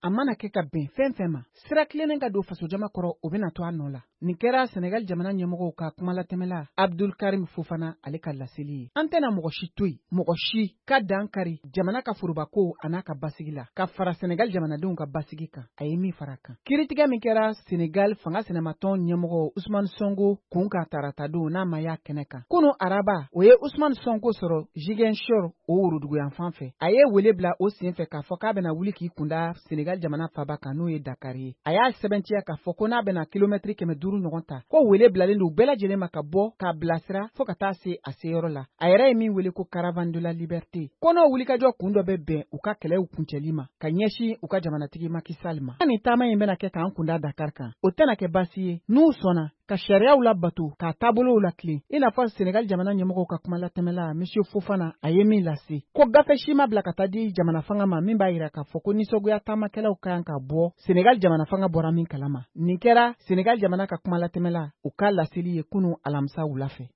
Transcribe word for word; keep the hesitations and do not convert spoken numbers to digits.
A mana kɛ ka bɛn fɛn fɛn ma, sira tilennen ka don fasojama kɔrɔ, o bɛna to a nɔ la. Nin kɛra Senegal jamana ɲɛmɔgɔw ka kumalatɛmɛla Abdul Karim Fofana, ale ka laseli ye. An tɛna mɔgɔ si to yen, mɔgɔ si ka dan kari jamana ka forobako a n'a ka basigi la, ka fara Senegal jamanadenw ka basigi kan, a ye min fara kan. Kiiritigɛ min kɛra Senegal fanga sinamatɔn ɲɛmɔgɔ Usman Sonko kun kan taratadon, n'a ma y'a kɛnɛ kan kunu araba, o ye Usman Sonko sɔrɔ Ziguinchor, o woroduguyanfan fɛ. A ye wele bila o sen fɛ k'a fɔ k'a bɛna wuli k'i kunda Senegal jamana faba kan, n'o ye Dakar ye. A y'a sɛbɛntiya k'a fɔ ko n'a bɛna kilomɛtiri kɛmɛ duuru ɲɔgɔn ta, ko wele bilalen don bɛɛ lajɛlen ma ka bɔ k'a bilasira fɔɔ ka taa se a seyɔrɔ la. A yɛrɛ ye min wele ko Caravane de la liberté, ko n'o wulikajɔ kun dɔ bɛ bɛn u ka kɛlɛw kuncɛli ma ka ɲɛsin u ka jamanatigi Macky Sall ma. Nin taama in bɛna kɛ k'an kunda Dakar kan, o tɛna kɛ baasi ye n'u sɔnna ka sariyaw labato, k'a taabolow latilen, i n'a fɔ Senegal jamana ɲɛmɔgɔw ka kumalatɛmɛla Monsieur Fofana, a ye min lase, ko gafe si ma bila ka taa di jamana fanga ma min b'a yira k'a fɔ ko nisɔngoya taamakɛlaw ka kan ka bɔ, Senegal jamana fanga bɔra min kalama. Nin kɛra Senegal jamana ka kumalatɛmɛla u ka laseli ye kunu alamisa wula fɛ.